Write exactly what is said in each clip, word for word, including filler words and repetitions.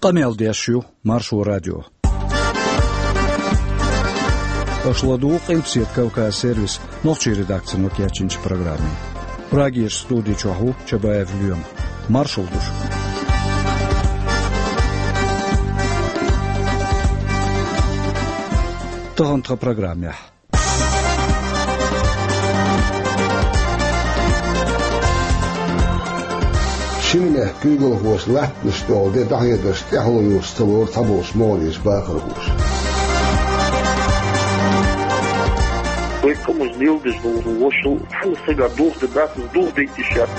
Къамел деш ю Маршо радио. Аша ладугӀу Къилбаседа Кавказ сервисан нохчийн редакцино кечйинчу программе. Прагерчу студи чохь ву Чабаев Лоьма. Маршалла ду шуьга. Тахана тхан программехь. Шина мехкан куьйгалхоша латтанаш тӀехула де дӀахьедарш тӀаьхьало йоцуш ца лору цхьаболчу могӀарерчу бахархоша. Вай къамаш леладеш долу вошал цхьана сага духу дан дац, духу дайта йиш яц.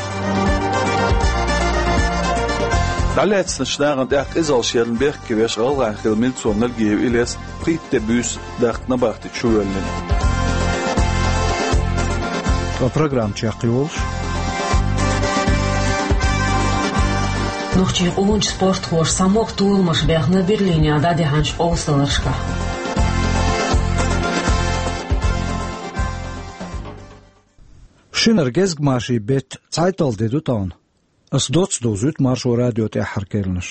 ДӀалаьцначу нахана тӀехь къизалла шерна бехке веш гӀалгӀайн хилла милиционер Нальгиев Илес пхийтта де буьйса даккха набахти чу воьллина. Ткъа программа чекхйолуш. Нохчийн къоначу спортхоша схьамогӀа толамаш баьхна Берлинехь дӀадахьанчу къовсадаларшкахь. Шинара гезгмашин беттан цхьайтталгӀа де ду тахана. Ас доцца довзуьйту Маршо радион тӀаьххьара керланаш.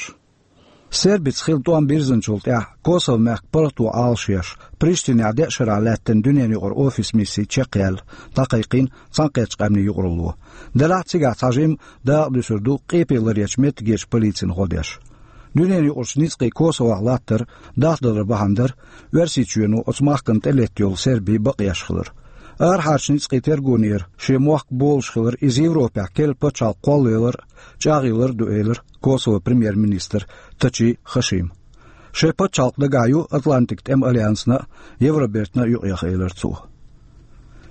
Сербица хилла тӀом бирзинчул тӀаьхьа Косово-мехкан паргӀато Ӏалашъеш, Приштинехь деа шарахь лаьттина дуьненан юкъара офисан мисси чекхъяьлла, дӀакхайкхийна Цхьаьнакхеттачу къаьмнийн юкъаралло. Делахь а цигахь цхьажимма дакъа дуьсур ду къепе ларъечу меттигерчу полицина гӀо деш. Дуьненан юкъарчу ницкъийн Косовохь латтар дахдалар бахьана дара Оьрсийчоьно оцу махкана тӀелетта йолу сербийн бакъ еш хилар. Арахьарчу ницкъийн тергонера шен мохк болуш хилар иза Европехь керла пачхьалкх кхоллаялар а, чӀагӀъялар а ду, элира Косовон премьер-министра Тачи Хашима. Шайн пачхьалкх дагахь ю Атлантикан тӀеман альянсана а, Евробертана а юкъеха, элира цо.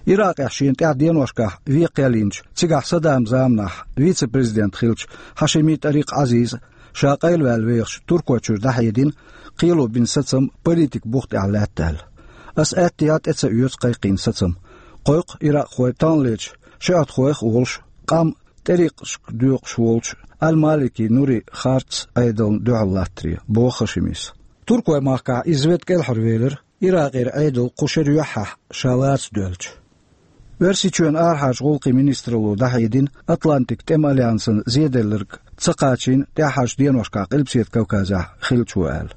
Иракъехь шена тӀехь деношкахь вен кхел йинчу, цигахь Саддаман заманахь вице-президент хиллачу Хьашими ТӀарикъ Ӏазиза ша къайлаваьлла вехаш Туркойчуьра дӀахьедина, кхело бина сацам политикан бух тӀехь лаьтта аьлла. Ас аьттехьа тӀе ца оьцу кхайкхийна сацам. Кхойкху иракъхой таханлерчу шиӀатхойх а волуш, къам тӀерикъашка доькъуш волчу Аль-Малики Нури харц Ӏедална дуьхьал латтаре, боху Хашимис. Туркойн махкахь иза ведда кӀелхьарвелира, Иракъера Ӏедал кху шеран юьххьехь ша лаца доьлча. Оьрсийчоьнан арахьарчу гӀуллакхийн министралло дӀахьедина, Атлантикан тӀеман альянсана зеделларг ца кхачийна тӀаьххьарчу деношкахь Къилбаседа Кавказехь хиллачо аьлла.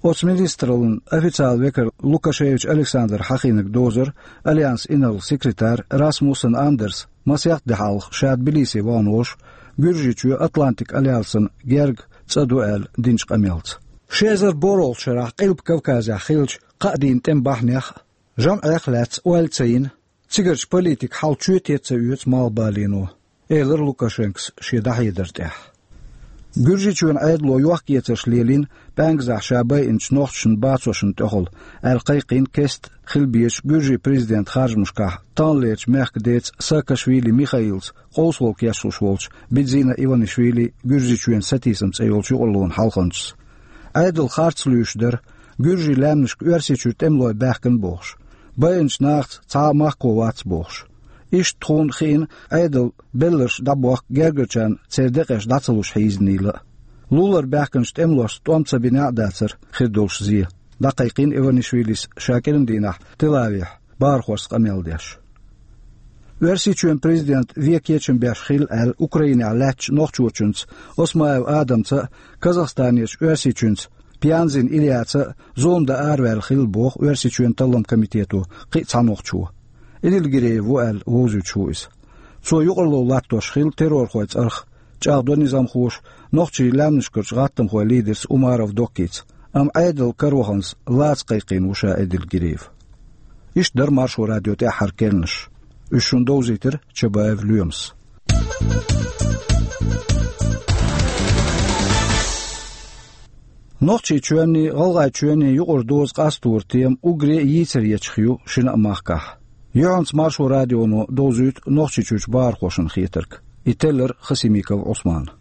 Оцу министраллин официалан векара Лукашевич Александр хьахийнарг дозура альянсан инарла-секретарь Расмуссен Андерс масех де хьалха ша Тбилисе вахана волуш, Гуьржийчоь Атлантикан альянсана герга цӀа ду аьлла динчу къамелца. Ши эзар борхӀалгӀачу шарахь Къилба Кавказехь хиллачу кхаа дийнан тӀеман бахьанех а, жамӀех а лаьцна ойла ца йина, цигарчу политикан хьал чоьте а ца оьцу малхбалено, элира Лукашенкос шен дӀахьедар тӀехь. Гуьржийчоьнан Ӏедало йохк-эцарш лелийна пӀаьнказахь ша байинчу нохчашна, бацошна тӀехула, аьлла кхайкхийна кеста хила безачу Гуьржийн президентан харжамашкахь таханлерчу мехкан деца Саакашвили Михаилца къовсамалла кечлуш волчу Бидзина Иванишвили Гуьржийчоьнан сатийсам цӀе йолчу юкъараллин хьалханчас. Ӏедал харц луьйш дара, гуьржийн лаьмнашка Оьрсийчуьра тӀемалой баьхкина бохуш, байинчу нахаца цхьа а махкахо вац бохуш. Иштта тхуна хиъна Ӏедалан белларш дӀабохка гергарчарна церан декъеш дӀа ца луш хьийзинийла а. Лулара баьхкинчу тӀемалошца тӀом ца бинехь а дацара хир долуш зе, дӀакхайкхийна Иванишвилис ша кӀиран дийнахь Тель-Авивехь бахархошца къамел деш. Оьрсийчоьнан президент вен кечам беш хилла аьлла Украинехь лаьттачу нохчочуьнца Осмаев Адамца а, Казахстанерчу оьрсичуьнца Пианзин Ильяца а зулам дан араваьлла хилла боху Оьрсийчоьнан талламан комитето кхин а цхьа нохчо. Эдильгиреев ву аьлла вовзуьйтуш ву иза. Цо юкъаралла латтош хилла террорхойн цӀарах, чӀагӀдо низамхоша, нохчийн лаьмнашкарчу гӀаттамхойн лидерца Умаров Доккица, амма Ӏедал караваханза лаца кхайкхийна ву ша Эдильгиреев. Иштта дара Маршо радион тӀаьххьара керланаш. Уьш шуна довзийтира Чабаев Лоьмас. Нохчийчоьнний, ГӀалгӀайчоьнний юкъара доза къасторан тема уггаре а йийцар ечух ю шина а махкахь. Юьхьанца Маршо радионо довзуьйту Нохчийчуьрчу бахархошна хетарг. И теллира Хасимиков Ӏусмана.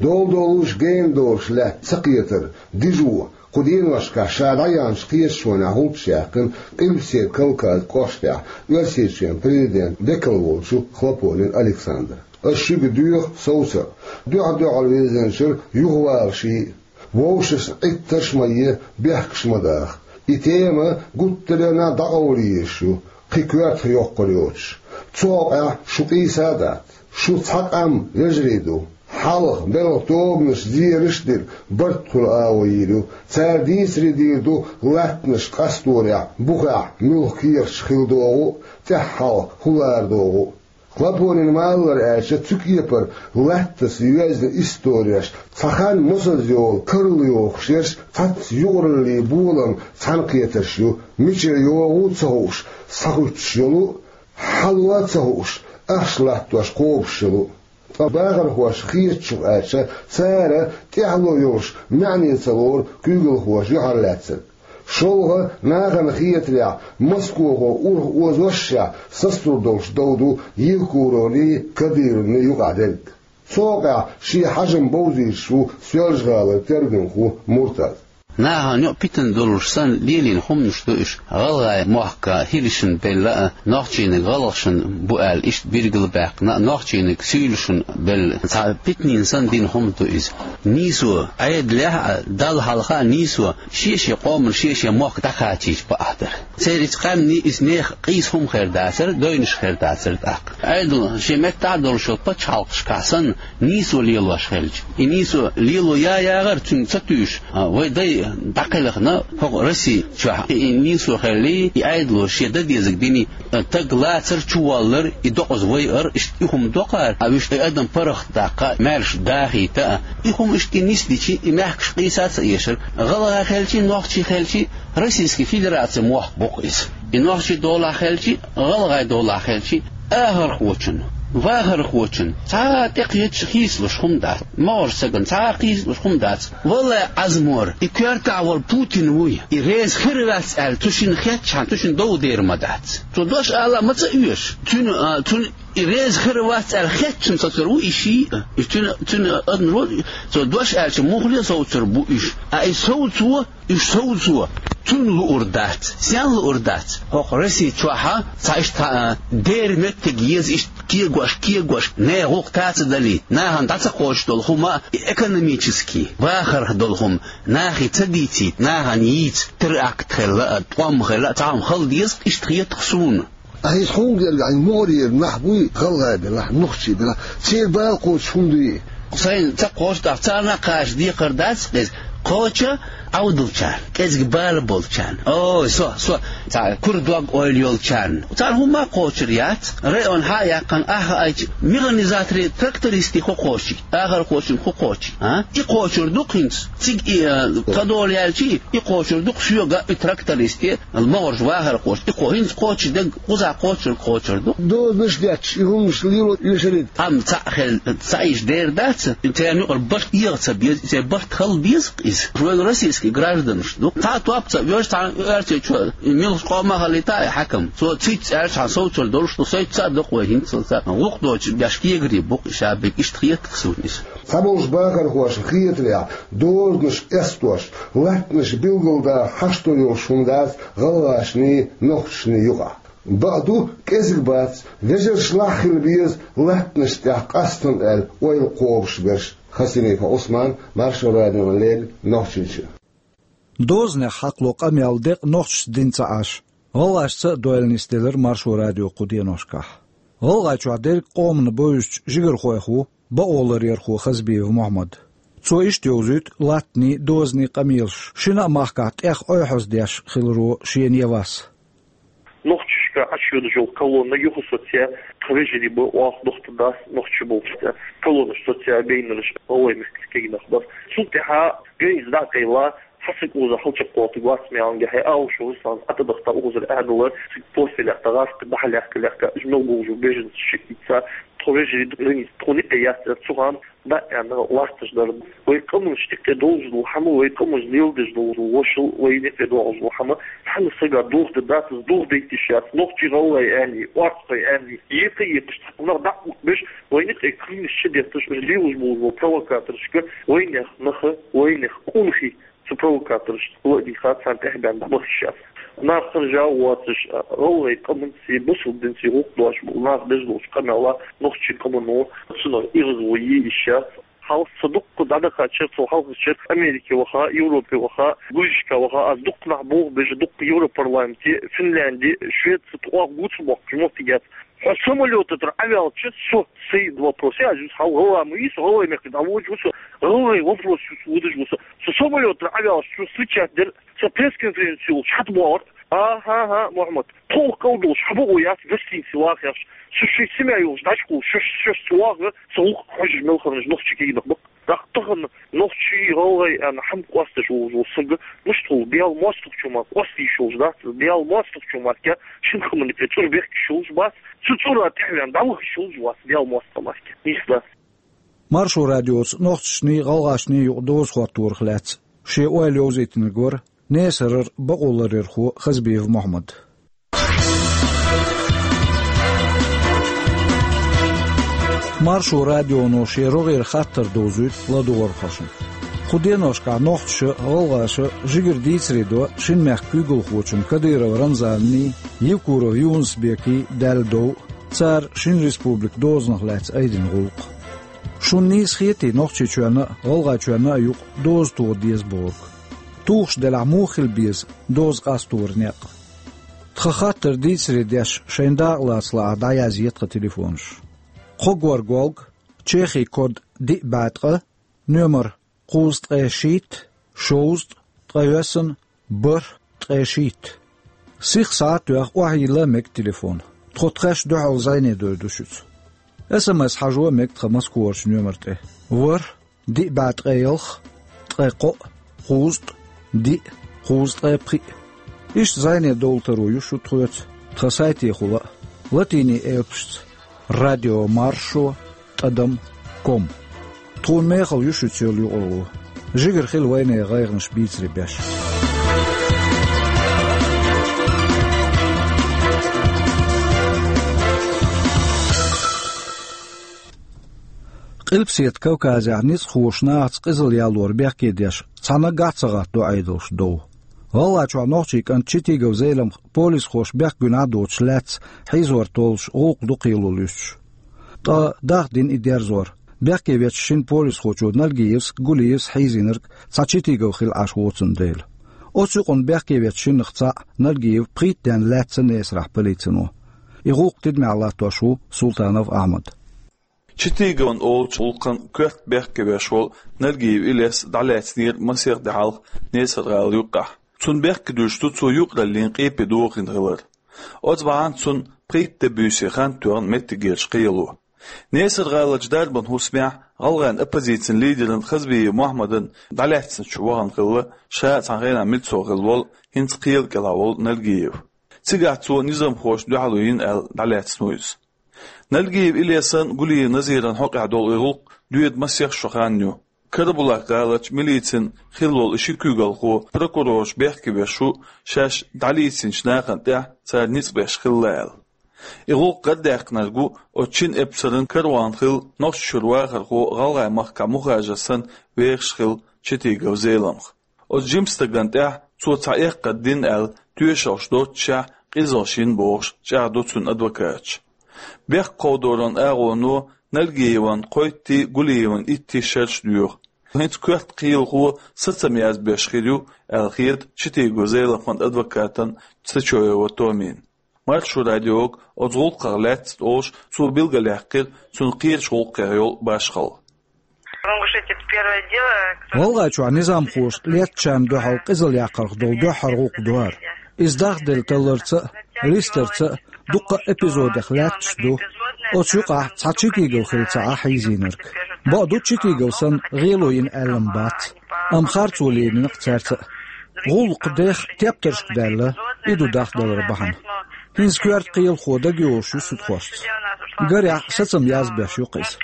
Долу долуш гена долуш лаьтта ца кхетар дижо, кху деношкахь ша дӀаяьхначу кхеташонехь гӀулчаш яьккхина Къилбаседа Кавказан кӀоштехь Оьрсийчоьнан президентан векал волчу Хлопонин Александра. Ас шуьга доьху совца а, дуьхьал-дуьхьал вирзинчуьра юхаваларш йий а, вовшашна Ӏиттарш а ма е, бехкаш а ма даха. И тема гуттар а дӀакъовла езаш ю, кхин коьртах йоккхур йоцуш. Цу хьокъехь шу къийса а дац. Шу цхьа къам, вежарий ду. Хьалха белхан тобанаш зераш а дина, барт хуьлу агӀо йийр ю. Цара дийцаре дийр ду латтанаш къасторехь, бухехь муьлха кехаташ хила догӀу а, тӀаьххьара хьалха хӀун лара догӀу а. Лапонин ма-аллара аьлча, цу кепара латтанца йоьзна истореш, цхьа хан мосазза йолу карла йохуш ерш, цхьацца юкъараллин болам цхьаьнакхетарш ю, мичара йогӀу а ца хууш, схьахӀуьттуш йолу а, хьало а ца хууш, ахча латтош кхобуш йолу а. Ткъа бахархоша хетачух аьлча, цара тӀаьхьало йолуш маьӀне ца лору куьйгалхоша юьхьарлаьцнарг. ШолгӀа, нахана хетарехь, Москохо урхъ озошшехь сацалур долуш дов ду Евкуровни, Кадыровни юкъахь дерг. Цу хьокъехь шен хьажам бовзуьйтуш ву Соьлжа-ГӀалара тергамхо Муртаз. Нахана юкъа питана долуш санна лелийна хӀуманаш ду уьш. ГӀалгӀайн мохк хӀирашна белла а, нохчийниг гӀалгӀашна бу аьлла иштта билгалбаьккхина а, нохчийниг суьйлашна белла. Цхьа питанийн санна дина хӀума ду иза. Нийсо, Ӏедалехь а, Далла хьалха а нийсо шен-шен къоман шен-шен мохк дӀакхачийча бакъахь дара. Церан иза къаьмнийн, иза нехан къийса хӀума хир дацара, девнаш хир дацара тӀаккха. Ӏедал шен меттахь а долуш йолу пачхьалкхашкахь санна, нийсо лелош хилча, и нийсо лело я-яхара цуьнга ца туьйсуш, а, вай дай дӀакхелхина хӀокху Росси чохь, и, и нийсо хилли, и Ӏедало шен дан дезарг дини, а, таг лацар, чуволлар, и докъаза вайар, иштта и хӀума доккхара, а, вуьш и адам паргӀат даккха, маьрша дахийта а, и хӀума иштта и нисдичи, и мехкаш къийса а ца эшара. ГӀалгӀа хилчи, нохчи хилчи, Российский Федерацин мохк бу-кх иза. И нохчийн долахь хилчи, гӀалгӀайн долахь хилчи, ахархочун, вахархочун цхьа а тӀекхеташ хийцалуш хӀума дац, могӀарш сагана цхьа а хийцалуш хӀума дац. Валлай, Ӏазмор, и коьртахь волу Путин вуй, и реза хир вац аьлла, цу шинна хетчахьана, цу шинна дов дер ма дац. Цо дош ала а ма ца оьшу. Цуьнан, а, цуьнан и реза хир вац аьлла хетчахьана соцур ву и шиъ а. И цуьнан, цуьнан адамо, цо дош аьлча, муххале а совцур бу уьш. А и совцо, уьш совцо, цунна луур дац. Стенна луур дац? ХӀокху Росси чохь а цхьа иштта, а, дера меттиг еза, иштта кегош, кегош, нехан гӀуллакх тацадалийта, нахана дӀа ца кхочуш долу хӀума, и экономический, вахарх долу хӀума, нахе ца дийцийта, нахана йийца, теракт хилла а, тӀом хилла а, цхьа хӀума хила деза, иштта хета-кх суна. Ахьа иза хьуна гергахь, хьайн могӀарера нах буй, гӀалгӀай белахь, нохчий белахь, церан бала кхочуш хӀума дуй? Сайна ца кхочуш дахь, царна а кхача декхар дац иза. Кхочу Ӏовдалчарна, кӀезиг бала болчарна. Ой, со, со, цхьа кура дог-ойла йолчарна. Царна хӀумма а кхочур яц. Район хьа а яьккхина, ахьа айча, механизаторий, трактористий хӀун кхочий, ахархочун хӀун кхочий, а? И кхочур ду-кх хӀинца. Цига и, а, тхадолу яьлчий, и кхочур ду-кх соьга, и трактористе, могӀарш вахархоша, и кхо-, хӀинца кхочуш дерг кхузахь кхочур, кхочур ду. Дозанаш детташ, и хӀуманаш лело оьшург. Амма цхьаъ хел, цхьаъ иштта дер дац, и церан юкъара барт эгӀа ца беза, и церан барт хала беза-кх иза. Вай российский гражданаш ду. Цхьа а топ ца оьшу, цхьана оьрсичо, и муьлхачу къомах а хилийта и хьаькам. Цо циц аьлча, хьан совцур долуш ду, сойтта ца а доккху вай хӀинцалца. ГӀуллакх доцуш беш кегарий бу-кх и ша биг, иштта хета-кх суна иза. Цхьаболчу бахархоша хетарехь, дозанаш эстош, латтанаш билгалдаха хьашто йолуш хӀума дац гӀалгӀашний, нохчашний юкъахь. Бакъду, кӀезиг бац, вежаршлахь хила беза латтанаш тӀехь къастам аьлла ойла кхобуш берш. Хасимиков Ӏусман, Маршо радиона леррина Нохчийчоь. Дозанех хьакхало къамел декъа нохчашца дина ца Ӏаш, гӀалгӀашца а дойла нисделира Маршо радио кху деношкахь. ГӀалгӀайчохь дерриг къомана бевзачу жигархойх ву бакъоларъярхо Хазбиев Мухьаммад. Цо иштта йовзуьйту латтанийн, дозанийн къамелаш шина а махкахь тӀех ойхьоздеш хиларо шена я вас. Нохчашка Ӏаш йодаш йолу колонна юха соцъян, тхан вежарий бу, оха дохтар дас нохчи болчу цӀе. Колоннаш соцъян, бейнараш а вай мехкаца кегнах бара. Цул тӀаьхьа граница дӀа а кхайла, хьан са кӀуза хьалчакхоттуг вац меанга хье, Алуш Руслан Ӏа тӀадахта укхазара аьдалара, цига профиль яхта, гӀазкхи дӀахьа лаьхка-лаьхка, уьш мел болчу беженцаш шиъ ца, тхо вежарий ду граница, тхуна юкъе яц, цу хана дӀа а аьнна, латташ дара. Вай къаманаш юкъе долуш долу хӀума, вай къаманаш леладеш долу вошал, вай юкъе долуш долу хӀума, цхьана сага дохда дац, дохдайта йиш яц, нохчий, гӀалгӀай аьлли, орцхой аьлли, екха а екхаш, цхьа нах дӀа а беш, вай юкъе кхинаш чу детташ, уьш лелаш болу провокаторшка, вайнех наха, вайнех къонахий, цу провокаторшца ладийгӀа, царна тӀехбаьнна дӀабаха йиш яц. Нах хержа а воцуш, гӀалгӀай къаманций, бусалба динций гӀуллакх дош болу нах деш долчу къамелан нохчийн къамано цунах эгӀазло е йиш яц. Хьалха со дуккха дӀадахача, со хьалхарча Америке ваха, Европе ваха, Гуйшка ваха, аз дуккха нах боху бежа, дуккха Европарламенте, Финлянде, Швеце, тхох гуца боккхуш моттиг яц. Хьо самолёта тӀара Ӏаваьлча, со, сай вопрос, я, аз хьал гӀалгӀа ма вий со, гӀалгӀай мехка дӀаводаш ва со, гӀалгӀай вопрос юс водаш ва со. Со самолёта тӀара Ӏаваьлча, со встречать дир, со пресс-конференци йолча хьатӀабоагӀар. Аха, аха, Мухьмад, тхо кӀалдолаш хьабоагӀа яц гостинице вахаш. Со шоай семья йолаш дӀачукхувлаш, шоаш, шоаш ца вагӀа, со гӀулакх хьожаш мел хиннараш нохчий кагий нах ба-кх. ТӀаккха тахан нохчий, гӀалгӀай аьнна хӀама къоастадеш волаш вола саг, мишта хул, Бела моастагӀчоа мара къоастаеш йолаш дац, Бела моастагӀчоа мара шин хӀаман юкъе цӀур бехкаш йолаш бац, цу цӀура тӀехьаваьнна дӀавахаш йолаш вац Бела моастагӀа мара. Нийса дац. Маршо радиоца нохчашнеи гӀалгӀашнеи юкъе доза хӀотторах лаьца шен ойла йовзийтинарг вар Несарара бакъоларъярхо Хазбиев Мухьмад. Маршо радионо шен рогӀера хаттар довзуьйту ладувгӀархошна. Кху деношкахь нохчаша, гӀалгӀаша жигара дийцаре до шин мехка куьйгалхочун Кадыров Рамзанний, Евкуров Юнус-Бекий, Даьла дов, цара шин республика дозанах лаьцна айдина гӀуллакх. Шуна нийса хетий Нохчийчоьнна а, ГӀалгӀайчоьнна а юкъа доза тоха деза бохург? Тухуш делахь, муха хила беза доза къасторан некъ? Тхан хаттар дийцаре деш, шайн дакъа лаца лаахь, дӀаязъе тхан телефонаш. Кхо горга голга, Чехин код диъ бӀе ткъа, номер кхузткъе шийтта, шовзткъа, ткъайоьсна, бархӀ, ткъе шийтта. Сиха схьа а тоьхна, охьайилла а мега телефон. Тхо тхаьш дуьхьал зӀене дойр ду шуьца. СМС хьажо а мега тхан Москварчу номер тӀе: ворхӀ, диъ бӀе ткъе ялх, ткъе кхоъ, кхузткъа, диъ, кхузткъе пхиъ. Иштта зӀене довла таро ю шу тхоьца тхан сайтехула а, латинийн элпашца: радио маршо тӀадам ком. Тхуна мехала ю шуьца йолу юкъаралла. Жигара хила вайнехан гӀайгӀанаш бийцаре беш. Къилбаседа Кавказехь ницкъахоша нахаца къизалла ялор бехке деш, цхьа наггахь а ца гӀатто Ӏедалш дов. ГӀалгӀайчохь нохчийн кӀант Читигов Зеламха полисхоша бехк гуьнахь а доцуш лаьцна хьийзор толлуш гӀуллакх дукха кхело луьстуш. Ткъа дахдина и дерзор. Бехке вечу шина полисхочо Нальгиевс а, Гулиевс а хьийзийнарг цхьа Читигов хилла Ӏаш воцун дела. Оцу юкъана бехке вечу шиннах цхьаъ Нальгиев пхийтта денна лаьцна Несарахь полицино. И гӀуллакх тидамехь латтош ву Султанов Ахьмад. Читиговн олучу гӀуллакхана коьрта бехке веш волу Нальгиев Илес дӀалаьцнера масех де хьалха Несар-гӀала юккъехь. Цунна бехке дуьтуш ду цо юкъараллин къепе дохийна хилар. Оцу бахьана цунна пхийтта де буьйса хан тоьхна меттигерчу кхело. Несар-гӀаларчу дарбан хӀусамехь гӀалгӀайн оппозицин лидеран Хазбиев Мухьаммадан дӀалаьцначу вахана хилла ша а цхьана хенахь милцо хилла волу, хӀинца кхела кӀелахь волу Нальгиев. Цигахь цо низамхошна дуьхьало йина аьлла дӀалаьцна ву иза. Нальгиев Илесан, Гулиев Назиран хьокъехь долу и гӀуллакх доьду масех шо хан ю. Карабулак-гӀаларчу милицин хилла волу и ши куьйгалхо прокурораш бехке веш ву, шаьш дӀалийцинчу нахана тӀехь цара ницкъ беш хилла аьлла. И гӀуллакх гӀардаьккхинарг ву оцу шина эпсаран караван хилла Нохчийчуьра вахархо ГӀалгӀай-махкахь мухажар санна вехаш хилла Читигов Зеламха. Оцу жима стагана тӀехь цо цхьа эккхар дина аьлла тоьшаллаш доццушехь къизаллаш йина бохуш чӀагӀдо цуьнан адвокаташа. Бехк кховдоран агӀоно Нальгиевн кхойттий, Гулиевн иттий шераш доьху. ХӀинца коьрта кхелахо сацам язбеш хир ю аьлла хета Читигов Зеламхан адвокатан Цечоева Томина. Маршо радиога оцу гӀуллакхах лаьцна олуш цо билгалъяьккхира цунна кхечу гӀуллакхех йолу башхалла. ГӀалгӀайчохь низамхоша леттачарна дуьхьал къизалла яккхарх долу дуьххьара гӀуллакх ду хӀара. Иза дахделла талларца а, листарца а дуккха а эпизодех лаьтташ ду. Оцу юкъахь цхьа Читигов хилла ца Ӏа хьийзийнарг. Бакъду, Читигов санна гӀело йина аьлла-м бац, амма харцо лелийна-кх цаьрца а. ГӀуллакх дех тептаршка даьлла, и ду дахдалар бахьана. ХӀинца коьрта кхелахо дагайолуш ю судхошца. Гарехь, сацам язбеш ю-кх иза.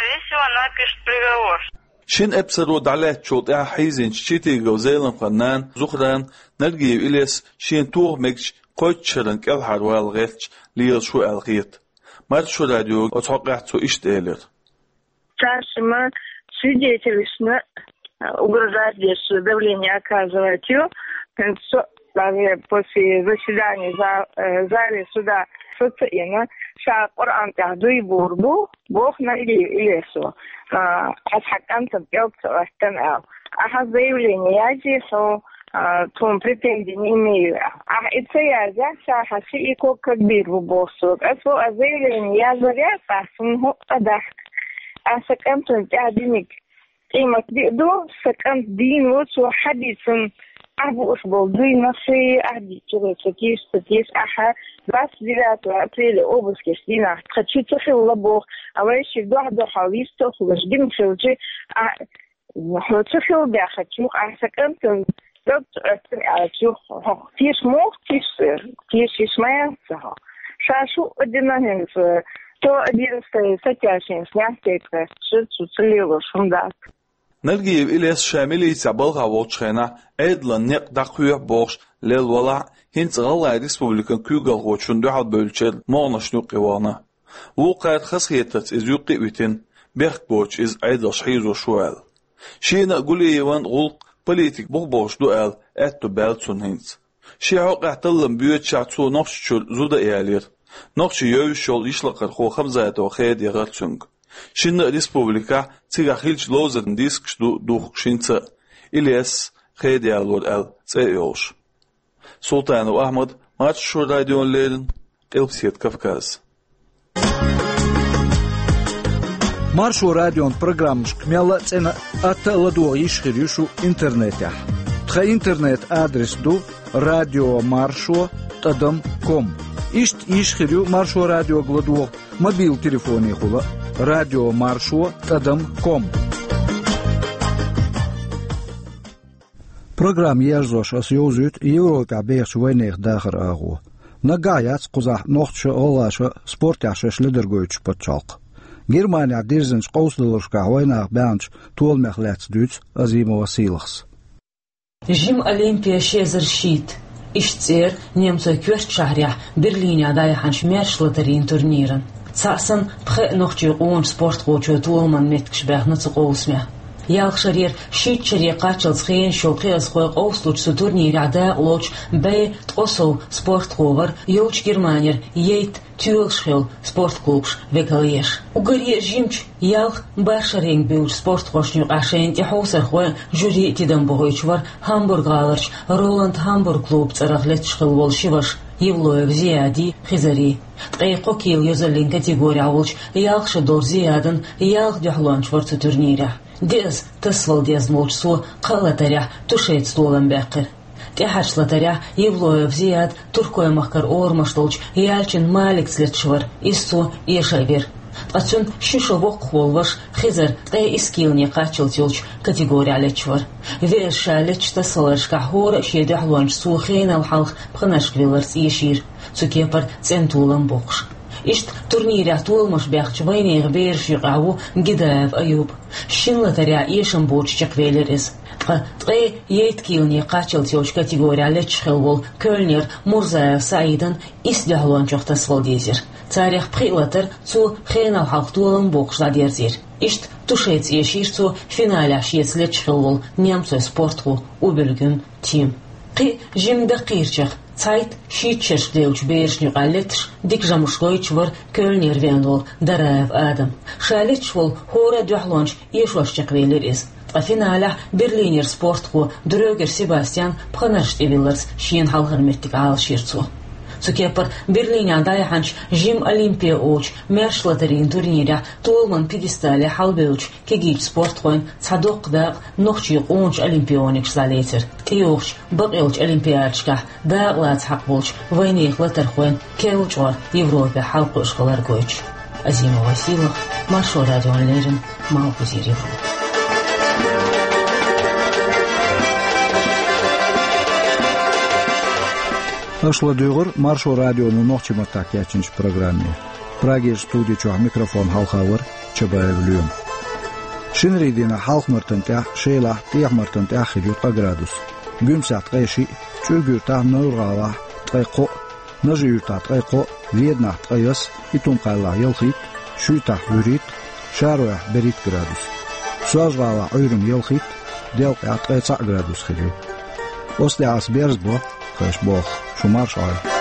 Шина эпсаро дӀалаьцначул тӀаьхьа хьийзинчу Читигов Зеламхан нана Зухрана Нальгиев Илес шена тоха мегачу кхойтта шарна кӀелхьарвала гӀерташ лелаш ву аьлла хета. Маршо радиога оцу хьокъехь цо иштта элира. Старшим свидетелашна угрожать деш, давление оказывать ю. ХӀинца со даже после заседания за-, э, зале суда со ца Ӏийна, ша Къуръан тӀехь дуй буур бу, боху Нальгиев Илесо. А, хьо хьан кӀантана кӀел ца хӀоьттина аьлла. Ахьа заявление язъе хьо, А, тхуна претензий не имею. Ахь и ца язъяхь, ша хьан ши и ког кагбийр бу боху сога. Ас бо а заявление язъяр яц, ахь цунна хӀуъа дахка. Ахь сан кӀантана тӀаьхьа диниг къимат биъ ду, сан кӀант дийна ву, цо хьадийцина, ахь бууш болу дуйнах ши, ахь дийцча, ца тийша, ца тийша, ахьа двадцать девятого апреля обыскаш дийнахь тхан чу ца хилла боху, а вай ши дуьхьа-дуьхьал йистохуш дина хилча, а, хьо ца хилла баьхначух, ахь сан кӀантана дог ца Ӏоьттина аьллачух, хьох тийша муха тийша, тийша йиш ма яц ца хьо. Ша шу а дина хӀинца, то одиннадцатая статья шен снять тайпа, шу цу ца лелош хӀума дац. Нальгиев Илес ша милицехь балхахь волчу хенахь Ӏедалан некъ дӀакхоьхьу бохуш лелла валахь а, хӀинца ГӀалгӀайн Республикан куьйгалхочунна дуьхьал бевллачеран могӀанашна юккъе вахана. Вукхара хазахетарца иза юккъе а витина, бехк боцуш иза Ӏедалш хьийзош ву аьлла. Шена а Гулиеван гӀуллакх политик бух бохуш ду аьлла, аьтто баьлла цунна хӀинца. Шен хьокъехь таллам боьдучехь цо Нохчийчуьра зуда а ялийра. Нохчийчу йовзуш йолу йишлакхархо Хамзатова Хеда яхара цуьнга. Шинна а республикехь цигахь хиллачу ловзаран дискаш ду духкуш хӀинца а, Илес Хеда ялора аьлла цӀе а йолуш. Султанов Ахьмад, Маршо радиона леррина, Къилбаседа Кавказ. Маршо радион программашка мелла а цӀена а, атта а ладогӀа йиш хир ю шу интернетехь. Тхан интернет-адрес ду радио маршо тӀадам ком. Иштта йиш хир ю Маршо радиога ладогӀа мобил телефонехула: радио маршо тӀадам ком. Программа ерзош ас йовзуьйту Европехь бехачу вайнехан дахаран агӀо. Наггахь яц кхузахь нохчаша а, гӀалгӀаша а спортехь шаьш ледара гойтуш пачхьалкх. Германехь дирзинчу къовсадаларшкахь вайнаха баьхначу толамех лаьцна дуьйцу Азимова Сийлахьс. Жима Олимпия ши эзар шийтта. Иштта цӀера немцойн коьртачу шахьарехь Берлинехь дӀаяьхьначу маьрша латарийн турниран. Цхьаъ санна, пхеа нохчийн къоначу спортхочо толаман меттигаш баьхна цу къовсамехь. Ялх шарера шийтта шаре кхаччалц хенаш йолу кхиазхой къовсалучу цу турнирехь дакъалоцуш бӀе ткъа сов спортхо вара йолчу Германера яйтта тоьлуш хилла спортклубаш векалъеш. Уггаре а жимачу ялх-бархӀ шаренга буьйлучу спортхошна юкъахь шайна тӀехьовсархой а, жюри а тидам бохуьйтуш вара Гамбург-гӀаларчу Роланд Гамбург клубан цӀарах летташ хилла волу ши ваша Евлоев Зияди, Хизари. Ткъе кхо кила йозаллин категорехь волчу ялх шо долчу Зиядан ялх дуьхьалонча вара цу турнирехь. Деаза тасавала дезна волчу цо кхаа латарехь тушеца толам баьккхира. ТӀаьхьарчу латарехь Евлоев Зияд Туркойн махкара орамаш долчу Ялчин Маликца летташ вара, иза цо эша а вира. Ткъа цуьнан ши шо воккхах волу ваша Хизар ткъе исс килане кхаччалц йолчу категорехь летташ вара. Веаза ша леттачу тасаваларшкахь хӀора а шен дуьхьалонча цо хенал хьалха пханаршка вилларца эшийра, цу кепара цӀена толам боккхуш. Иштта турнирехь толамаш баьхначу вайнехан берашна юкъахь ву Гидаев Аюб. Шина латарехь эшам боцуш чекхвелира иза. Ткъа ткъе ейтта килане кхаччалц йолчу категорехь летташ хилла волу Кёльнер Мурзаев СаӀидан исс дуьхьалончух тасавала дийзира. Царех пхиъ латар цо хенал хьалха толам боккхуш дӀадерзийра. Иштта тушеца эшийра цо финалехь шеца летташ хилла волу немцойн спортхо Убельгюн Тим. Кхин а жимма даккхийрачех цхьайтта-шийтта шерашка девллачу берашна юкъахь летташ дика жамӀаш гойтуш вара Кёльнер веана волу Дараев Адам. Ша летташ волу хӀора а дуьхьалонча эшош чекхвелира иза. Ткъа финалехь Берлинера спортхо Дрёгер Себастьян пханаршна тӀевилларца шена хьалхара меттиг Ӏалашйира цо. Цу кепара Берлинехь дӀаяьхьначу жимма Олимпия олучу маьрша латарийн турнирехь толаман пьедестале хьалабевллачу кегийчу спортхойн цхьа доккха дакъа нохчийн къоначу олимпионигашца дӀалецира. ТӀейогӀучу бакъйолчу олимпиадашкахь дакъа лаца хьакхаболчу вайнехан латархойн керла чкъор Европехь хьалакхуьуш хилар гойтуш. Азимова Сийлахь, Маршо радиона леррина, Малхбузера Европа. Аша ладуьйгӀира Маршо радионо нохчийн маттахь кечйинчу программе. Прагерчу студи чохь микрофон хьалха вара Чабаев Лоьма. Шинарийн дийнахь Хьалха-Мартан тӀехь шелахь, ТӀехьа-Мартан тӀехь хир ю ткъа градус. Гуьмсехь ткъе шиъ, ЦӀуьрг-Юьртахь, Невран-ГӀалахь ткъе кхоъ, Нажи-Юьртахь ткъе кхоъ, Веданахь ткъе исс, Итум-Кхаьллахь ялхитта, Шуьйтахь вуьрхӀитта, ШароехӀ берхӀитта градус. Соьлжа-ГӀалахь Ӏуьйранна ялхитта, Делкъехь ткъе цхьаъ градус хир ю. Оцу тӀехь ас берзабо, кхайша болх, шу марша Ӏойла.